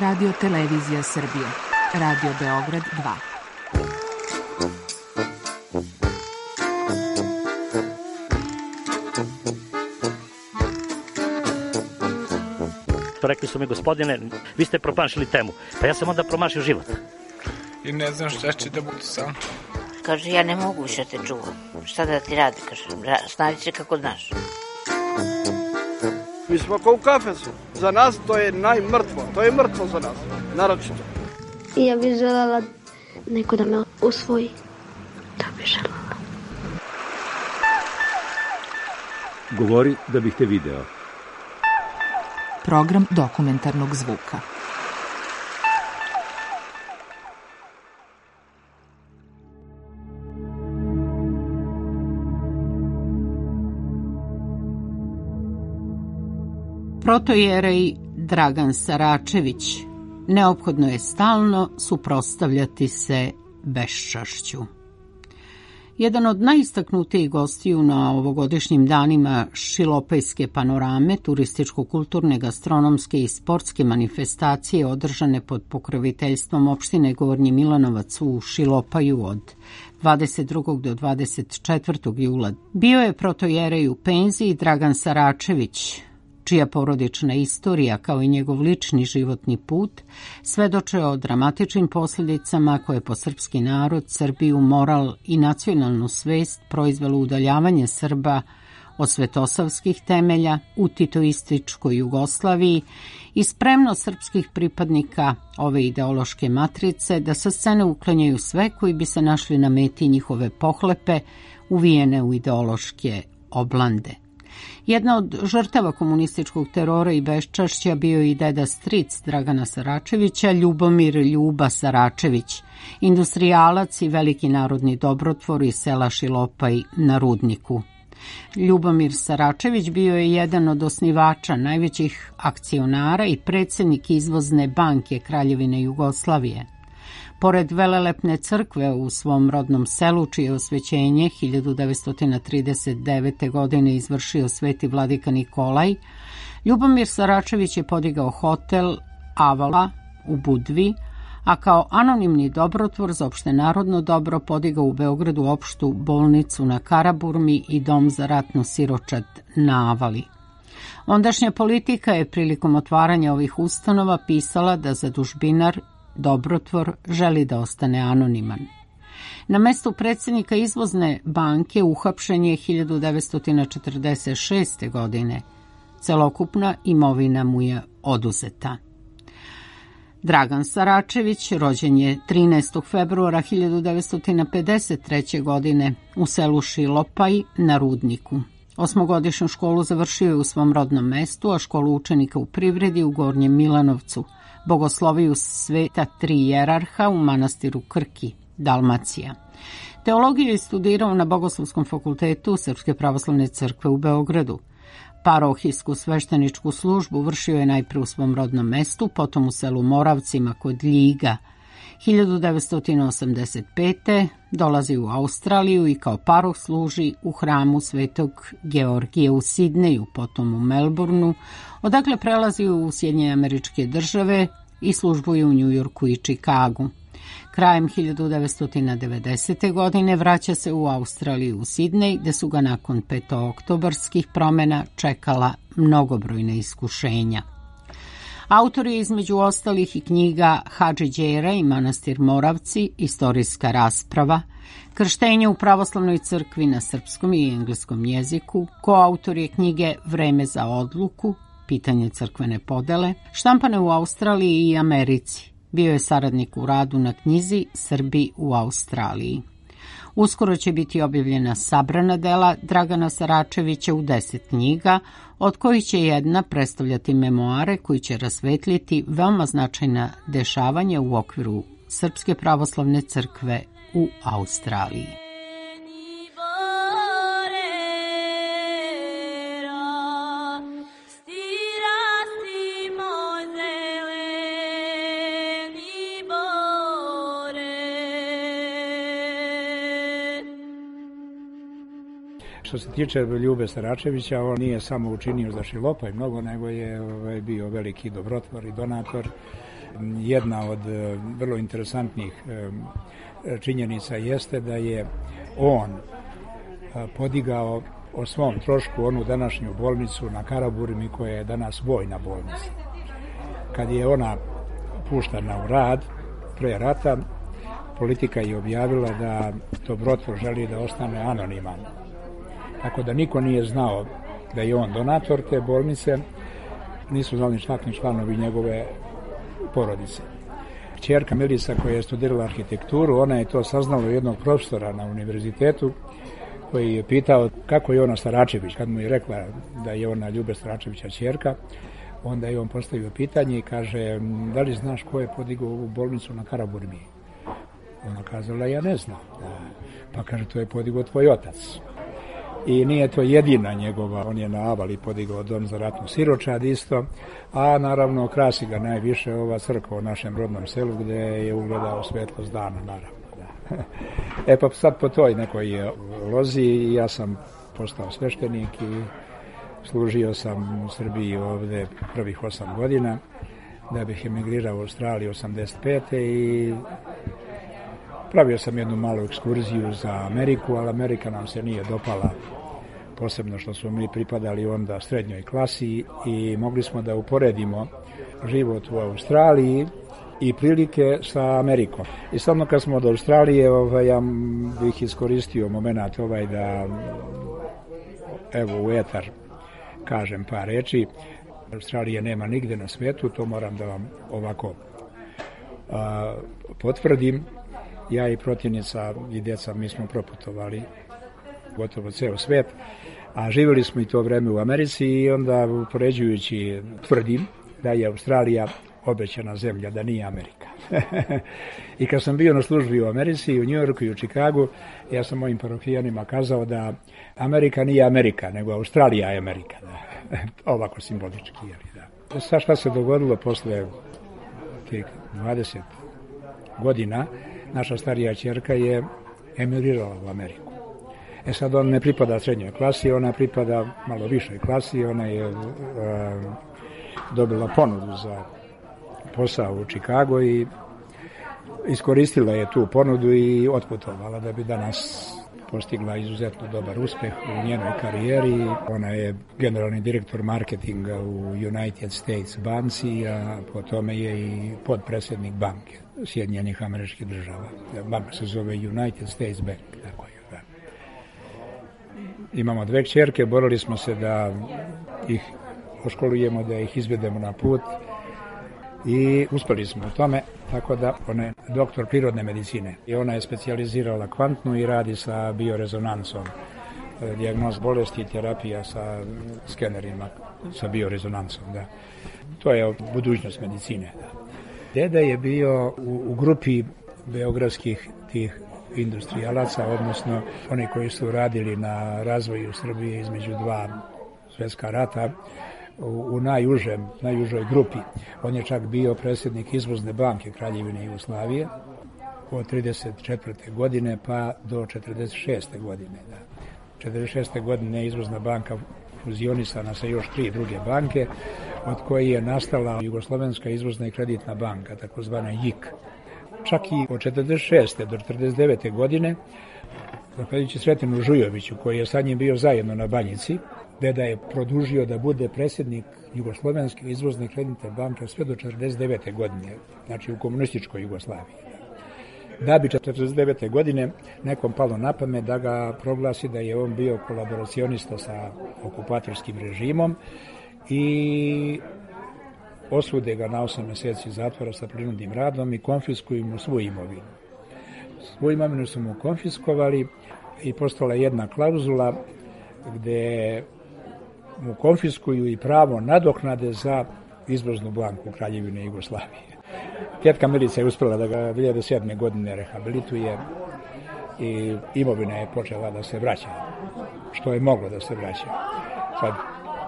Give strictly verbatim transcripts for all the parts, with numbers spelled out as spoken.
Radio Televizija Srbije, Radio Beograd dva. Rekli su mi, gospodine, vi ste promašili temu. Pa ja sam onda promašio život. I ne znam šta će da budu sam. Kaže, ja ne mogu više te čuvam. Šta da ti radi, kaže, snađi se kako znaš. Mi smo kao u kafesu. Za nas to je najmrtvo. To je mrtvo za nas, naročito. I ja bih želela neko da me usvoji. To bih želela. Govori da bih te video. Program dokumentarnog zvuka. Protojerej Dragan Saračević: neophodno je stalno suprotstavljati se beščašću. Jedan od najistaknutijih gostiju na ovogodišnjim danima Šilopajske panorame, turističko-kulturne, gastronomske i sportske manifestacije održane pod pokroviteljstvom opštine Gornji Milanovac u Šilopaju od dvadeset drugog do dvadeset četvrtog jula, bio je protojerej u penziji Dragan Saračević, čija porodična istorija, kao i njegov lični životni put, svedoče o dramatičnim posljedicama koje po srpski narod, Srbiju, moral i nacionalnu svest proizvelo udaljavanje Srba od svetosavskih temelja u titoističkoj Jugoslaviji i spremnost srpskih pripadnika ove ideološke matrice da sa scene uklanjaju sve koji bi se našli na meti njihove pohlepe uvijene u ideološke oblande. Jedna od žrtava komunističkog terora i beščašća bio i deda stric Dragana Saračevića, Ljubomir Ljuba Saračević, industrijalac i veliki narodni dobrotvor iz sela Šilopaj na Rudniku. Ljubomir Saračević bio je jedan od osnivača, najvećih akcionara i predsjednik Izvozne banke Kraljevine Jugoslavije. Pored velelepne crkve u svom rodnom selu, čije osvećenje hiljadu devetsto trideset devete. godine izvršio sveti vladika Nikolaj, Ljubomir Saračević je podigao hotel Avala u Budvi, a kao anonimni dobrotvor za opštenarodno dobro podigao u Beogradu opštu bolnicu na Karaburmi i dom za ratnu siročad na Avali. Ondašnja politika je prilikom otvaranja ovih ustanova pisala da zadužbinar dobrotvor želi da ostane anoniman. Na mestu predsjednika Izvozne banke uhapšen je hiljadu devetsto četrdeset šeste. godine. Celokupna imovina mu je oduzeta. Dragan Saračević rođen je trinaestog februara hiljadu devetsto pedeset treće. godine u selu Šilopaj na Rudniku. Osmogodišnju školu završio je u svom rodnom mestu, a školu učenika u privredi u Gornjem Milanovcu, bogosloviju sveta tri jerarha u manastiru Krki, Dalmacija. Teologiju je studirao na Bogoslovskom fakultetu Srpske pravoslavne crkve u Beogradu. Parohijsku svešteničku službu vršio je najpre u svom rodnom mestu, potom u selu Moravcima kod Ljiga. hiljadu devetsto osamdeset pete. dolazi u Australiju i kao paroh služi u hramu Svetog Georgija u Sidneju, potom u Melbourneu, odakle prelazi u Sjedinjene Američke Države i službuje u Njujorku i Čikagu. Krajem hiljadu devetsto devedesete. godine vraća se u Australiju u Sidnej, gde su ga nakon petooktobarskih promjena čekala mnogobrojna iskušenja. Autor je između ostalih i knjiga Hadži Đera i manastir Moravci, istorijska rasprava, krštenje u pravoslavnoj crkvi na srpskom i engleskom jeziku, koautor je knjige Vreme za odluku, pitanje crkvene podele, štampane u Australiji i Americi. Bio je saradnik u radu na knjizi Srbi u Australiji. Uskoro će biti objavljena sabrana dela Dragana Saračevića u deset knjiga, od kojih će jedna predstavljati memoare koji će rasvetljiti veoma značajna dešavanja u okviru Srpske pravoslavne crkve u Australiji. Što se tiče Ljube Saračevića, on nije samo učinio za Šilopaj mnogo, nego je ovaj, bio veliki dobrotvor i donator jedna od vrlo interesantnih činjenica jeste da je on podigao o svom trošku onu današnju bolnicu na Karaburmi koja je danas vojna bolnica. Kad je ona puštana u rad pre rata, politika je objavila da Dobrotvor želi da ostane anoniman. Tako da niko nije znao da je on donator te bolnice, nisu znali čak ni članovi njegove porodice. Ćerka Milica koja je studirala arhitekturu, ona je to saznala od jednog profesora na univerzitetu koji je pitao kako je ona Staračević. Kad mu je rekla da je ona Ljube Staračevića ćerka, onda je on postavio pitanje i kaže, da li znaš ko je podigao ovu bolnicu na Karaburmi? Ona kazala, ja ne znam. Pa kaže, to je podigao tvoj otac. I nije to jedina njegova, on je na Avali podigao dom za ratnu siročad isto, a naravno krasi ga najviše ova crkva u našem rodnom selu gde je ugledao svetlost dana, naravno. Da. E pa sad po toj nekoj lozi ja sam postao sveštenik i služio sam u Srbiji ovde prvih osam godina, da bih emigrirao u Australiju osamdeset pete i pravio sam jednu malu ekskurziju za Ameriku, ali Amerika nam se nije dopala, posebno što smo mi pripadali onda srednjoj klasi i mogli smo da uporedimo život u Australiji i prilike sa Amerikom. I samo kad smo od Australije, ovaj, ja bih iskoristio moment ovaj da evo u etar kažem par reči. Australije nema nigde na svetu, to moram da vam ovako a, potvrdim. Ja i protivnica i deca, mi smo proputovali gotovo ceo svet, a živjeli smo i to vreme u Americi i onda upoređujući tvrdim da je Australija obećana zemlja, da nije Amerika. I kad sam bio na službi u Americi, u Njujorku i u Čikagu, ja sam mojim parohijanima kazao da Amerika nije Amerika, nego Australija je Amerika. Da. Ovako simbolički. Da. Sad šta se dogodilo posle tih dvadeset godina, naša starija ćerka je emigrirala u Ameriku. E sad ona ne pripada srednjoj klasi, ona pripada malo višoj klasi, ona je uh, dobila ponudu za posao u Čikagu i iskoristila je tu ponudu i otputovala da bi danas postigla izuzetno dobar uspeh u njenoj karijeri. Ona je generalni direktor marketinga u United States banci, a po tome je i podpredsjednik banke Sjedinjenih Američkih Država. Banka se zove United States Bank. Tako je, da. Imamo dve kćerke, borili smo se da ih oškolujemo, da ih izvedemo na put i uspeli smo u tome, tako da ona je doktor prirodne medicine i ona je specijalizirala kvantnu i radi sa biorezonancom, dijagnoz bolesti i terapija sa skenerima, sa biorezonancom. Da. To je budućnost medicine. Da. Deda je bio u, u grupi beogradskih tih industrijalaca, odnosno oni koji su radili na razvoju Srbije između dva svjetska rata, u, u najužem, najužoj grupi. On je čak bio predsjednik Izvozne banke Kraljevine Jugoslavije od trideset četvrte godine pa do četrdeset šeste godine. Da. četrdeset šeste godine Izvozna banka fuzionisana sa još tri druge banke, od koje je nastala Jugoslovenska izvozna i kreditna banka, takozvana J I K. Čak i od četrdeset šeste do četrdeset devete godine, zahvaljujući Sretenu Žujoviću, koji je sa njim bio zajedno na Banjici, deda je produžio da bude predsjednik Jugoslovenske izvozne i kreditne banke sve do četrdeset devete godine, znači u komunističkoj Jugoslaviji. Da bi četrdeset devete godine nekom palo na pamet da ga proglasi da je on bio kolaboracionista sa okupatorskim režimom i osude ga na osam mjeseci zatvora sa prinudnim radom i konfiskuju mu svu imovinu. Svu imovinu su mu konfiskovali i postala jedna klauzula gde mu konfiskuju i pravo nadoknade za izvoznu banku Kraljevine Jugoslavije. Tetka Milica je uspjela da ga dvije hiljade sedme godine rehabilituje i imovina je počela da se vraća, što je moglo da se vraća. Sad,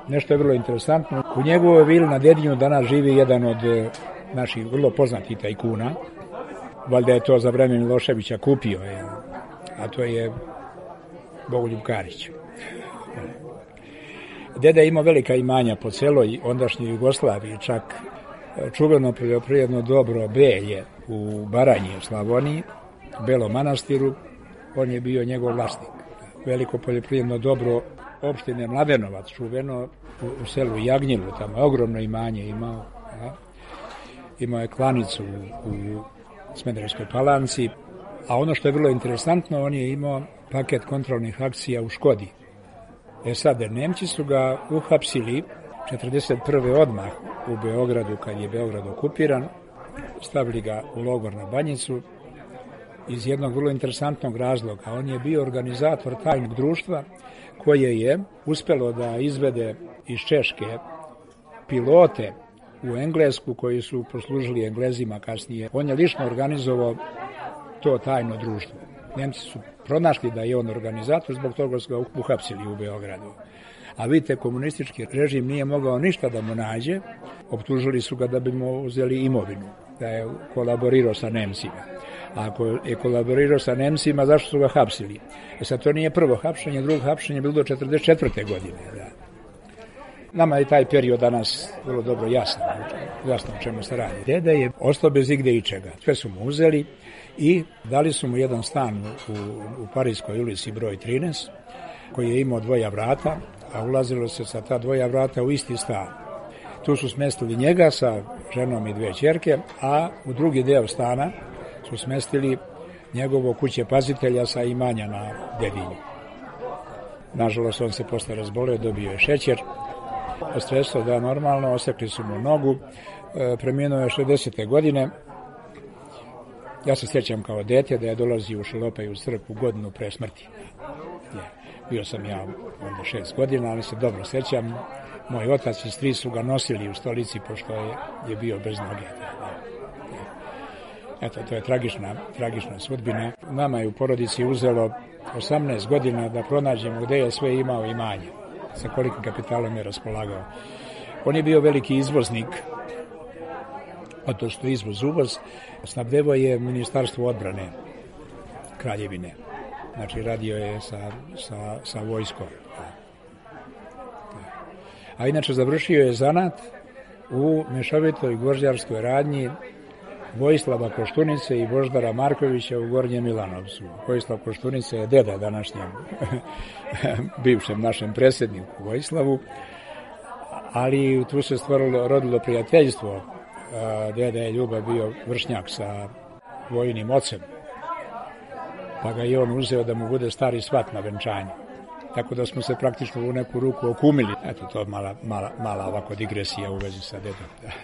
nešto je vrlo interesantno. U njegovoj vili na Dedinju danas živi jedan od naših vrlo poznatih tajkuna. Valjda je to za vreme Miloševića kupio, je, a to je Bogoljub Karić. Deda je imao velika imanja po celoj ondašnjoj Jugoslaviji, čak čuveno poljoprivredno dobro Belje u Baranji, u Slavoniji, Belom Manastiru, on je bio njegov vlasnik. Veliko poljoprivredno dobro opštine Mladenovac, čuveno u, u selu Jagnjilu, tamo je ogromno imanje imao. Ja. Imao je klanicu u, u Smederevskoj Palanci, a ono što je vrlo interesantno, on je imao paket kontrolnih akcija u Škodi. E sad, Nemci su ga uhapsili četrdeset prve odmah u Beogradu, kad je Beograd okupiran, stavili ga u logor na Banjicu iz jednog vrlo interesantnog razloga. On je bio organizator tajnog društva koje je uspelo da izvede iz Češke pilote u Englesku koji su poslužili Englezima kasnije. On je lično organizovao to tajno društvo. Nemci su pronašli da je on organizator, zbog toga su ga uhapsili u Beogradu. A vidite, komunistički režim nije mogao ništa da mu nađe, optužili su ga da bi mu uzeli imovinu, da je kolaborirao sa Nemcima. A ako je kolaborirao sa Nemcima, zašto su ga hapsili? E sad, to nije prvo hapšenje, drugo hapšenje je bilo do četrdeset četvrte godine. Da. Nama je taj period danas vrlo dobro jasno, jasno o čemu se radi. Deda je ostao bez igde i čega. Sve su mu uzeli i dali su mu jedan stan u, u Parijskoj ulici broj trinaest, koji je imao dvoja vrata, a ulazilo se sa ta dvoja vrata u isti stan. Tu su smestili njega sa ženom i dve ćerke, a u drugi deo stana su smestili njegovo kuće pazitelja sa imanja na Dedinju. Nažalost, on se posle razboleo, dobio je šećer, stresao da normalno, osekli su mu nogu, e, preminuo je šezdesete godine. Ja se sjećam kao dete da je dolazio u Šelopaj u crkvu godinu pre smrti. Je. Bio sam ja onda šest godina, ali se dobro sjećam. Moj otac i stric su ga nosili u stolici pošto je, je bio bez noge. Eto, to je tragična, tragična sudbina. Nama je u porodici uzelo osamnaest godina da pronađemo gde je sve imao imanje, sa kolikim kapitalom je raspolagao. On je bio veliki izvoznik, a to što izvoz uvoz, snabdevo je Ministarstvo odbrane Kraljevine. Znači, radio je sa, sa, sa vojskom. A inače, završio je zanat u mešovitoj gvožđarskoj radnji Vojislava Koštunice i Boždara Markovića u Gornjem Milanovcu. Vojislav Koštunica je deda današnjem bivšem našem predsjedniku Vojislavu, ali tu se stvorilo, rodilo prijateljstvo. Deda je Ljuba bio vršnjak sa vojnim ocem, pa ga je on uzeo da mu bude stari svat na venčanju. Tako da smo se praktično u neku ruku okumili. Eto, to mala, mala, mala ovako digresija u vezi sa dedom.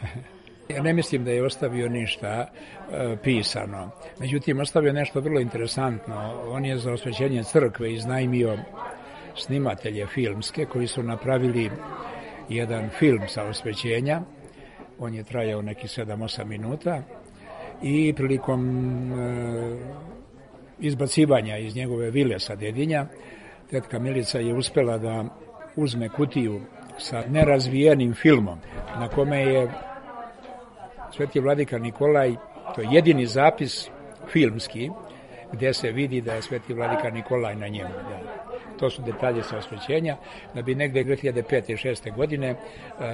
Ja ne mislim da je ostavio ništa e, pisano. Međutim, ostavio nešto vrlo interesantno. On je za osvećenje crkve iznajmio snimatelje filmske koji su napravili jedan film sa osvećenja. On je trajao neki sedam osam minuta i prilikom e, izbacivanja iz njegove vile sa Dedinja, tetka Milica je uspela da uzme kutiju sa nerazvijenim filmom na kome je Sveti vladika Nikolaj, to je jedini zapis filmski gdje se vidi da je Sveti vladika Nikolaj na njemu. Da. To su detalje sa osvećenja. Da bi negde dve hiljade pete i šeste godine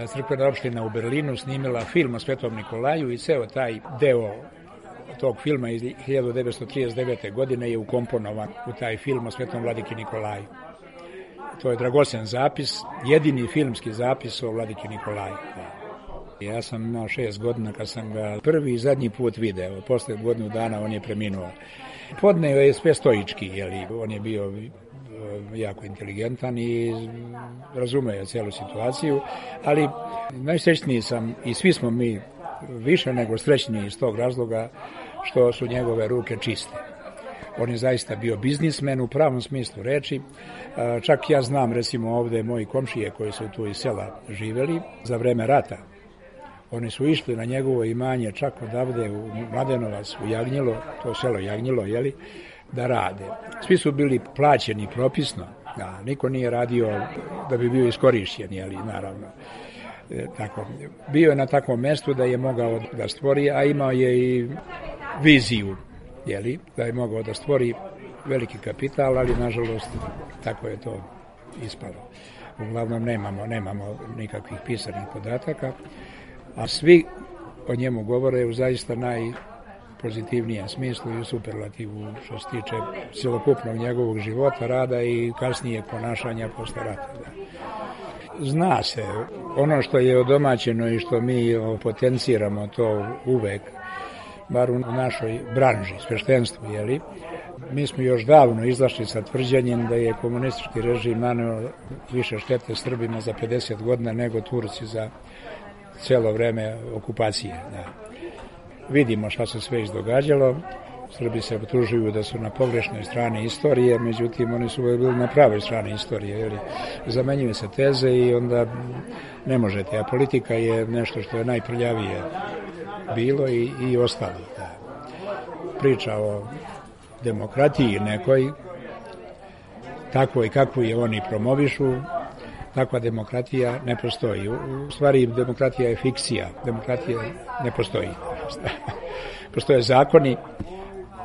crkvena opština u Berlinu snimila film o Svetom Nikolaju i ceo taj deo tog filma iz hiljadu devetsto trideset devete. godine je ukomponovan u taj film o Svetom vladiki Nikolaju. To je dragocen zapis, jedini filmski zapis o vladiki Nikolaju. Da. Ja sam imao šest godina kad sam ga prvi i zadnji put video. Posle godinu dana on je preminuo. Podneo je sve stoički, jeli, on je bio jako inteligentan i razumeo celu situaciju, ali najsrećniji sam i svi smo mi više nego srećni iz tog razloga što su njegove ruke čiste. On je zaista bio biznismen u pravom smislu reči. Čak ja znam, recimo ovde moji komšije koji su tu iz sela živeli za vreme rata. Oni su išli na njegovo imanje čak odavde u Mladenovac, u Jagnjilo, to selo Jagnjilo, jeli, da rade. Svi su bili plaćeni propisno, da, niko nije radio da bi bio iskorišćen, jeli, naravno. E, tako, bio je na takvom mestu da je mogao da stvori, a imao je i viziju, jeli, da je mogao da stvori veliki kapital, ali nažalost tako je to ispalo. Uglavnom nemamo, nemamo nikakvih pisanih podataka. A svi o njemu govore u zaista najpozitivnijem smislu i u superlativu što se tiče cjelokupnog njegovog života, rada i kasnije ponašanja posle rata. Zna se, ono što je odomaćeno i što mi potenciramo to uvek, bar u našoj branži, sveštenstvu, jeli, mi smo još davno izašli sa tvrđenjem da je komunistički režim naneo više štete Srbima za pedeset godina nego Turci za cijelo vreme okupacije. Da. Vidimo šta se sve izdogađalo. Srbi se optužuju da su na pogrešnoj strani istorije, međutim oni su bili na pravoj strani istorije. Jer zamenjuju se teze i onda ne možete. A politika je nešto što je najprljavije bilo i, i ostalo. Da. Priča o demokratiji nekoj, takvoj kakvu je oni promovišu, takva demokratija ne postoji. U stvari demokratija je fikcija, demokratija ne postoji. Postoje zakoni,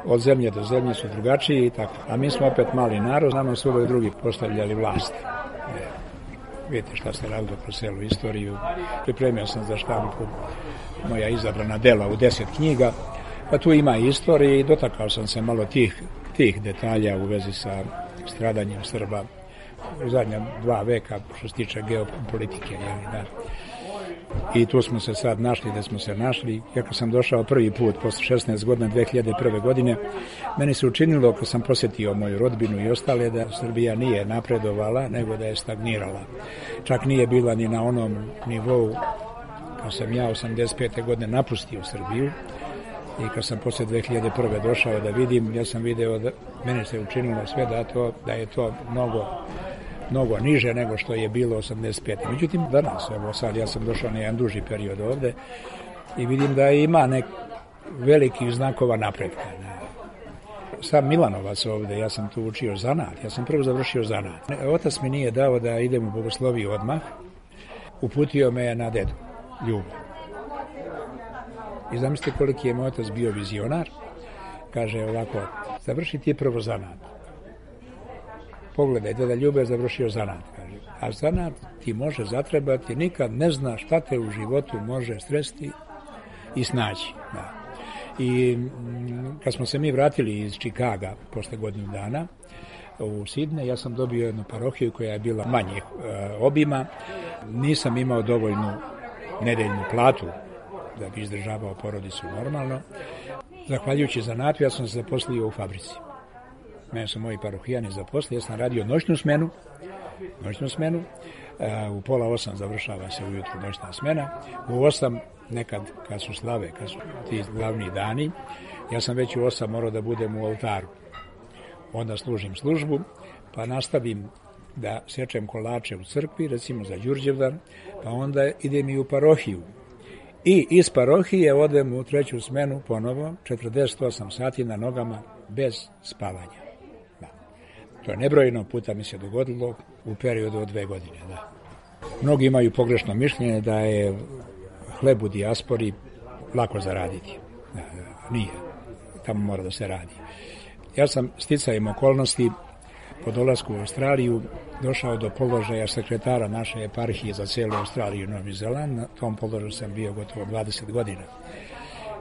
od zemlje do zemlje su drugačiji i tako. A mi smo opet mali narod, nama su uvek drugi postavljali vlast. Vidite šta se radilo kroz celu istoriju. Pripremio sam za štampu moja izabrana dela u deset knjiga, pa tu ima istorije i dotakao sam se malo tih, tih detalja u vezi sa stradanjem Srba u zadnja dva veka što se tiče geopolitike. Jeli, da. I tu smo se sad našli da smo se našli. Ja kad sam došao prvi put posle šesnaest godina dve hiljade prve. godine, meni se učinilo kad sam posjetio moju rodbinu i ostale da Srbija nije napredovala nego da je stagnirala. Čak nije bila ni na onom nivou kad sam ja osamdeset pete. godine napustio Srbiju i kad sam posle dve hiljade prve. došao da vidim, ja sam video da meni se učinilo sve da, to, da je to mnogo mnogo niže nego što je bilo osamdeset pete. Međutim, danas, evo sad, ja sam došao na jedan duži period ovde i vidim da ima nek velikih znakova napretka. Sam Milanovac ovde, ja sam tu učio zanat, ja sam prvo završio zanat. Otac mi nije dao da idem u bogosloviju odmah, uputio me na dedu, Ljubu. I zamislite koliki je moj otac bio vizionar, kaže ovako, završi ti prvo zanat. Pogledaj, deda Ljube je završio zanat, kaže. A zanat ti može zatrebati, nikad ne zna šta te u životu može stresti i snaći. Da. I kad smo se mi vratili iz Čikaga posle godinu dana u Sidne, ja sam dobio jednu parohiju koja je bila manjih e, obima. Nisam imao dovoljnu nedeljnu platu da bi izdržavao porodicu normalno. Zahvaljujući zanatu, ja sam se zaposlio u fabrici. Mene su moji parohijani zaposlili, ja sam radio noćnu smenu, noćnu smenu, u pola osam završava se ujutru noćna smena, u osam nekad kad su slave, kad su ti glavni dani, ja sam već u osam morao da budem u oltaru. Onda služim službu, pa nastavim da sečem kolače u crkvi, recimo za Đurđevdan, pa onda idem i u parohiju. I iz parohije odem u treću smenu ponovo, četrdeset osam sati na nogama, bez spavanja. To je nebrojeno puta mi se dogodilo u periodu od dve godine. Da. Mnogi imaju pogrešno mišljenje da je hleb u dijaspori lako zaraditi. Da, da, nije. Tamo mora da se radi. Ja sam sticajem okolnosti po dolasku u Australiju došao do položaja sekretara naše eparhije za celu Australiju i Novi Zeland. Na tom položaju sam bio gotovo dvadeset godina.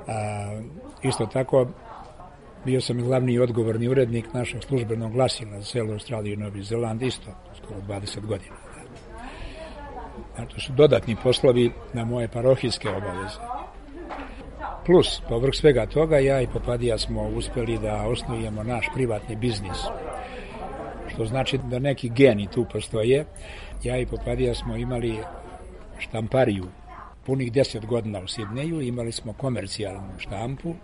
A, isto tako, bio sam i glavni i odgovorni urednik našeg službenog glasila za celu Australiju i Novi Zeland, isto skoro dvadeset godina. To su dodatni poslovi na moje parohijske obaveze. Plus, povrh svega toga, ja i Popadija smo uspeli da osnujemo naš privatni biznis. Što znači da neki geni tu postoje. Ja i Popadija smo imali štampariju punih deset godina u Sidneju, imali smo komercijalnu štampu,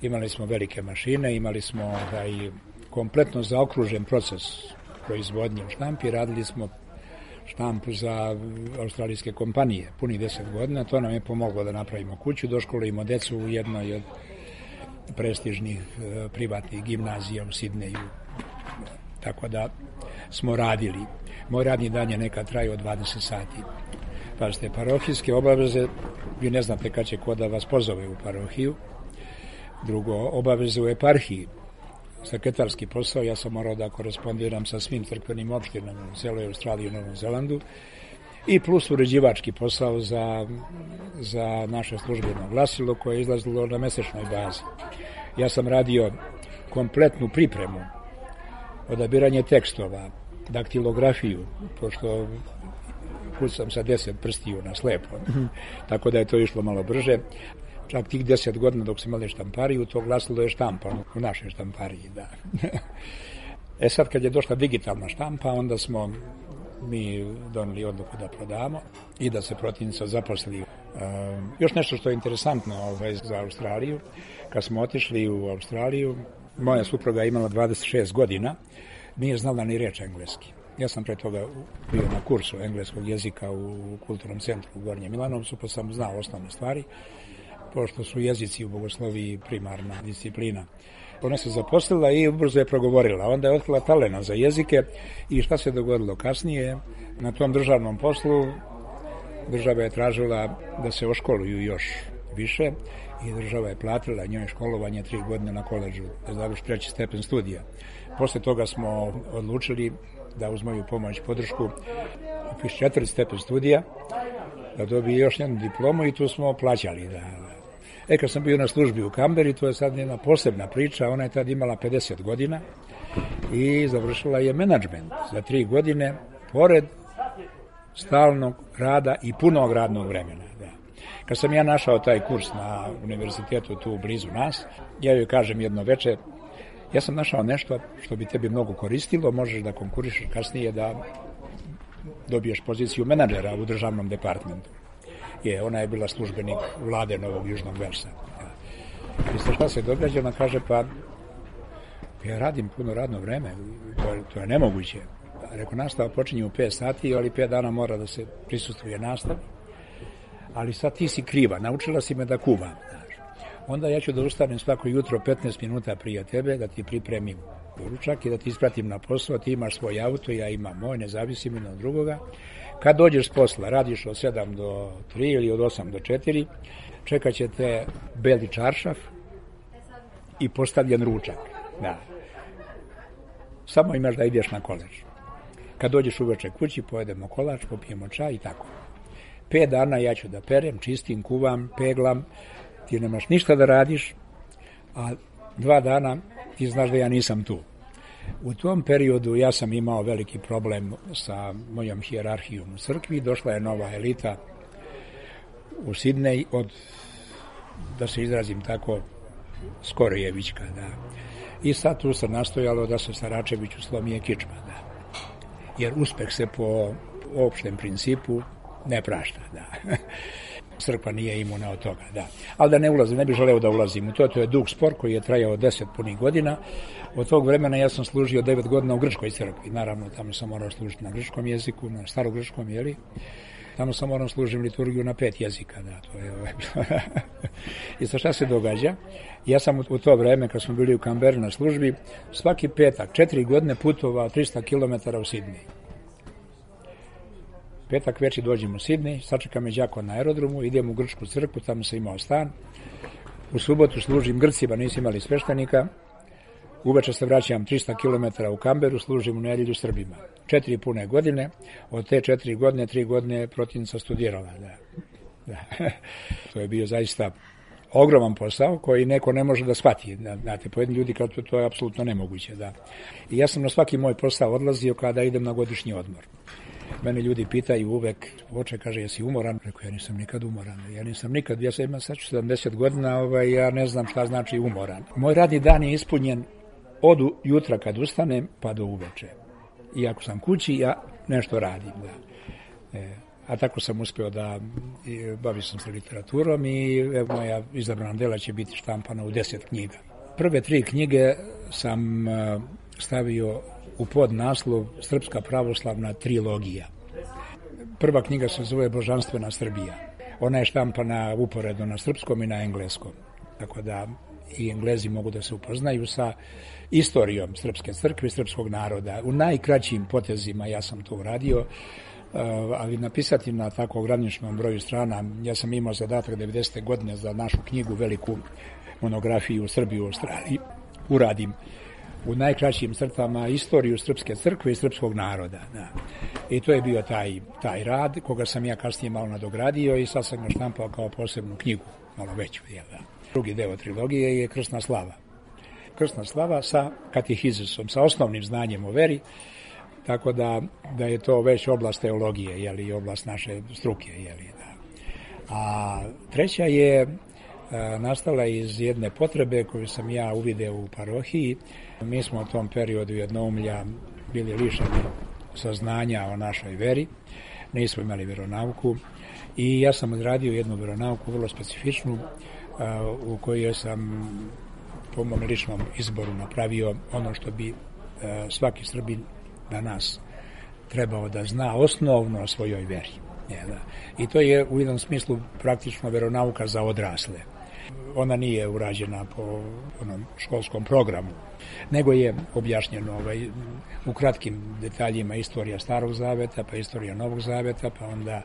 imali smo velike mašine, imali smo ovaj, kompletno zaokružen proces proizvodnje u štampi, radili smo štampu za australijske kompanije punih deset godina, to nam je pomoglo da napravimo kuću, doškolujemo decu u jednoj od prestižnih e, privatnih gimnazija u Sidneju, tako da smo radili. Moj radni dan je nekad trajao dvadeset sati. Pazite, parohijske obaveze, vi ne znate kad će ko da vas pozove u parohiju. Drugo, obaveze u eparhiji, sekretarski posao, ja sam morao da korespondiram sa svim crkvenim opštinama u celoj Australiji i Novom Zelandu. i plus uređivački posao za, za naše službeno glasilo koje je izlazilo na mesečnoj bazi. Ja sam radio kompletnu pripremu, odabiranje tekstova, daktilografiju, pošto kucam sa deset prstiju na slepo, tako da je to išlo malo brže. Čak tih deset godina dok smo imali štampariju, to glasilo je štampano u našoj štampariji, da. E sad kad je došla digitalna štampa, onda smo mi doneli odluku da prodamo i da se protivnica zaposli. E, još nešto što je interesantno ovaj, za Australiju, kad smo otišli u Australiju, moja supruga je imala dvadeset šest godina, nije znala ni reč engleski. Ja sam pre toga bio na kursu engleskog jezika u kulturnom centru u Gornjem Milanovcu, pa sam znao osnovne stvari, pošto su jezici u bogosloviji primarna disciplina. Ona se zaposlila i ubrzo je progovorila. Onda je otkrila talent za jezike i šta se dogodilo kasnije? Na tom državnom poslu država je tražila da se oškoluju još više i država je platila njoj školovanje tri godine na koledžu, da završi treći stepen studija. Posle toga smo odlučili da uz moju pomoć podršku upiše četvrti stepen studija, da dobije još jednu diplomu i tu smo plaćali. Da. E, kad sam bio na službi u Kamberi, to je sad jedna posebna priča, ona je tad imala pedeset godina i završila je menadžment za tri godine, pored stalnog rada i punog radnog vremena. Da. Kad sam ja našao taj kurs na univerzitetu tu blizu nas, ja joj kažem jedno veče, ja sam našao nešto što bi tebi mnogo koristilo, možeš da konkurišeš kasnije da dobiješ poziciju menadžera u državnom departmentu. Je, ona je bila službenik vlade Novog Južnog Velsa. I šta se događa, ona kaže, pa ja radim puno radno vreme, to je, to je nemoguće. Rekao, nastava počinje u pet sati, ali pet dana mora da se prisustuje nastavi. Ali sad ti si kriva, naučila si me da kuvam. Onda ja ću da ustanem svako jutro petnaest minuta prije tebe, da ti pripremim doručak i da ti ispratim na posao, ti imaš svoj auto, ja imam moj, ne zavisim jedan od drugoga. Kad dođeš s posla, radiš od sedam do tri ili od osam do četiri, čekat će te beli čaršaf i postavljen ručak. Da. Samo imaš da ideš na koleđ. Kad dođeš uveče kući, pojedemo kolač, popijemo čaj i tako. Pet dana ja ću da perem, čistim, kuvam, peglam, ti nemaš ništa da radiš, a dva dana ti znaš da ja nisam tu. U tom periodu ja sam imao veliki problem sa mojom hijerarhijom u crkvi, došla je nova elita u Sidnej od, da se izrazim tako, Skorojevićka, da. I sad tu se nastojalo da se Saračeviću slomije kičma, da. Jer uspeh se po opštem principu ne prašta, da. Crkva nije imuna od toga, da. Ali da ne ulazim, ne bih želeo da ulazim u to, to je dug spor koji je trajao deset punih godina. Od tog vremena ja sam služio devet godina u grčkoj crkvi. Naravno, tamo sam morao služiti na grčkom jeziku, na starogrčkom, jeli? Tamo sam morao služiti liturgiju na pet jezika, da, to je ovaj. I sa šta se događa? Ja sam u to vreme, kad smo bili u Kamberi na službi, svaki petak, četiri godine putovao tristo kilometara u Sidney. Petak veći dođem u Sidney, sačeka me đako na aerodromu, idem u grčku crkvu, tamo sam imao stan. U subotu služim Grcima, nisu imali sveštenika. Uveče se vraćam tristo kilometara u Kamberu, služim u nedjelju Srbima. Četiri pune godine, od te četiri godine, tri godine protivnica studirala. Da. Da. To je bio zaista ogroman posao koji neko ne može da shvati. Znate, pojedini ljudi kao to, to je apsolutno nemoguće. Da. I ja sam na svaki moj posao odlazio kada idem na godišnji odmor. Mene ljudi pitaju uvek, oče, kaže, jesi umoran? Rekao, ja nisam nikad umoran. Ja nisam nikad, ja sam imam sad sedamdeset godina, ovaj, ja ne znam šta znači umoran. Moj radni dan je ispunjen od jutra kad ustanem pa do uveče. I ako sam kući, ja nešto radim. Da. E, a tako sam uspeo da bavim sam se literaturom i evo, moja izabrana dela će biti štampana u deset knjiga. Prve tri knjige sam stavio u podnaslov Srpska pravoslavna trilogija. Prva knjiga se zove Božanstvena Srbija. Ona je štampana uporedno na srpskom i na engleskom. Tako da i Englezi mogu da se upoznaju sa istorijom Srpske crkve i srpskog naroda. U najkraćim potezima ja sam to uradio, ali napisati na tako ograničenom broju strana, ja sam imao zadatak devedesete godine za našu knjigu, veliku monografiju u Srbiji u Australiji, uradim u najkraćim crtama istoriju Srpske crkve i srpskog naroda. Da. I to je bio taj, taj rad, koga sam ja kasnije malo nadogradio i sad sam ga štampao kao posebnu knjigu, malo veću. Jel, da. Drugi deo trilogije je Krsna slava. Krsna slava sa katehizusom, sa osnovnim znanjem o veri, tako da, da je to već oblast teologije, jeli, i oblast naše struke. Jeli, da. A treća je a, nastala iz jedne potrebe koju sam ja uvideo u parohiji. Mi smo u tom periodu jednoumlja bili lišeni saznanja o našoj veri, nismo imali veronauku i ja sam odradio jednu veronauku vrlo specifičnu a, u kojoj sam po mom ličnom izboru napravio ono što bi a, svaki Srbin danas trebao da zna osnovno o svojoj veri. I to je u jednom smislu praktično veronauka za odrasle. Ona nije urađena po onom školskom programu, nego je objašnjeno ovaj, u kratkim detaljima istorija Starog zaveta, pa istorija Novog zaveta, pa onda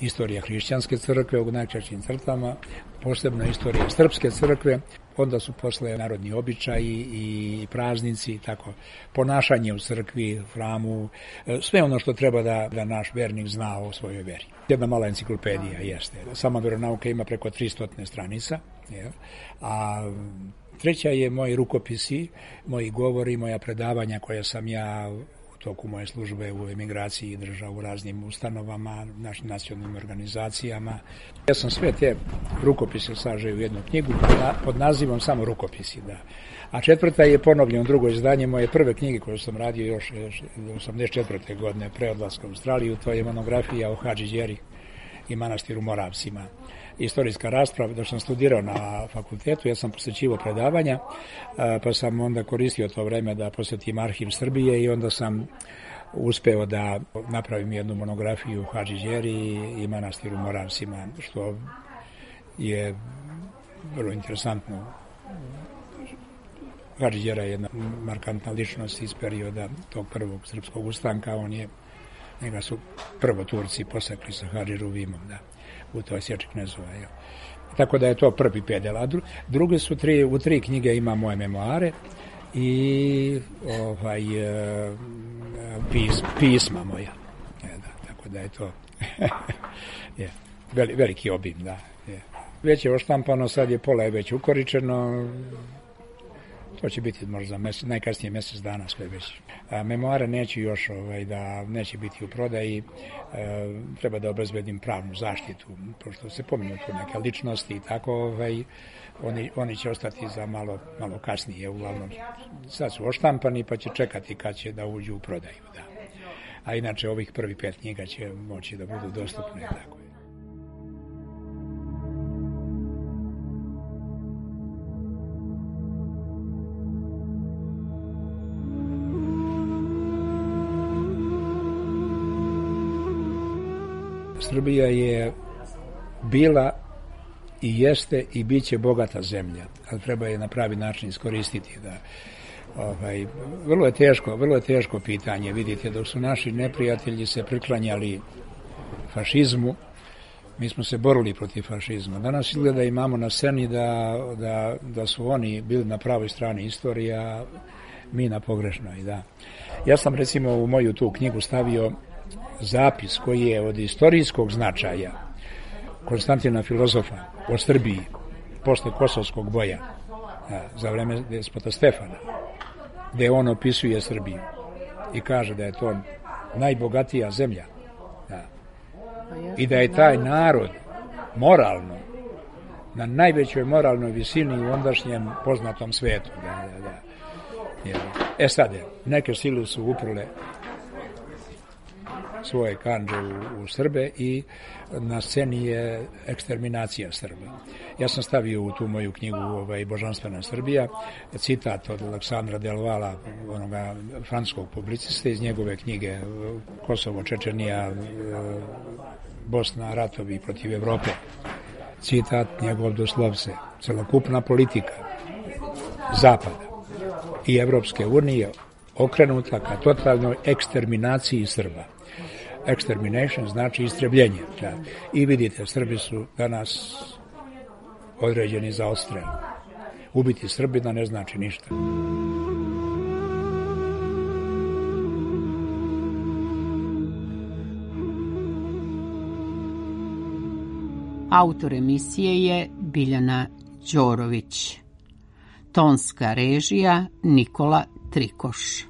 istorija hrišćanske crkve u najkraćim crtama, posebno istorija Srpske crkve, onda su posle narodni običaji i praznici i tako, ponašanje u crkvi, hramu, sve ono što treba da, da naš vernik zna o svojoj veri. Jedna mala enciklopedija jeste. Sama veronauka ima preko tristo stranica, jel? A treća je moji rukopisi, moji govori, moja predavanja koja sam ja u toku moje službe u emigraciji držao u raznim ustanovama, našim nacionalnim organizacijama. Ja sam sve te rukopise sažeo u jednu knjigu pod nazivom samo rukopisi, da. A četvrta je ponovljeno drugo izdanje moje prve knjige koju sam radio još osamdeset četvrte godine pre odlaska u Australiju, to je monografija o Hadži Đeri i manastiru Moravcima. Istorijska rasprava, dok sam studirao na fakultetu, ja sam posjećivao predavanja, pa sam onda koristio to vreme da posjetim arhiv Srbije i onda sam uspeo da napravim jednu monografiju o Hadži Đeri i manastiru Moravcima, što je vrlo interesantno. Hadži Đera je jedna markantna ličnost iz perioda tog prvog srpskog ustanka, on je, njega su prvo Turci posekli sa Hadži Ruvimom, da, u toj sječi knezova. Jo. Tako da je to prvi pedel, a druge su tri, u tri knjige ima moje memoare i ovaj, pis, pisma moja. Je, da, tako da je to je, veli, veliki obim, da. Je. Već je oštampano, sad je pola je već ukoričeno. To će biti možda mesec, najkasnije mjesec dana sve već. A, memoare neće još ovaj, da neće biti u prodaji, e, treba da obezbedim pravnu zaštitu, pošto se pominju tu neke ličnosti i tako, ovaj, oni, oni će ostati za malo, malo kasnije, uglavnom sad su oštampani pa će čekati kad će da uđu u prodaju. Da. A inače ovih prvih pet knjiga će moći da budu dostupne. Tako. Srbija je bila i jeste i bit će bogata zemlja, ali treba je na pravi način iskoristiti. Da, ovaj, vrlo je teško, vrlo je teško pitanje. Vidite, dok su naši neprijatelji se priklanjali fašizmu, mi smo se borili protiv fašizma. Danas izgleda imamo na sceni da, da, da su oni bili na pravoj strani istorije, a mi na pogrešnoj. Da. Ja sam recimo u moju tu knjigu stavio zapis koji je od istorijskog značaja Konstantina Filozofa o Srbiji posle Kosovskog boja za vreme despota Stefana, gde on opisuje Srbiju i kaže da je to najbogatija zemlja, da. I da je taj narod moralno na najvećoj moralnoj visini u ondašnjem poznatom svetu. Da, da, da. E sad, neke sile su uprle svoje kandže u, u Srbe i na sceni je eksterminacija Srba. Ja sam stavio u tu moju knjigu ovaj, Božanstvena Srbija citat od Aleksandra Delvala, onoga francuskog publiciste iz njegove knjige Kosovo, Čečenija, Bosna, ratovi protiv Evrope. Citat njegov doslovce: celokupna politika Zapada i Evropske unije okrenuta ka totalnoj eksterminaciji Srba. Extermination znači istrebljenje. Da. I vidite, Srbi su danas određeni za odstrel. Ubiti Srbina ne znači ništa. Autor emisije je Biljana Đorović. Tonska režija Nikola Trikoš.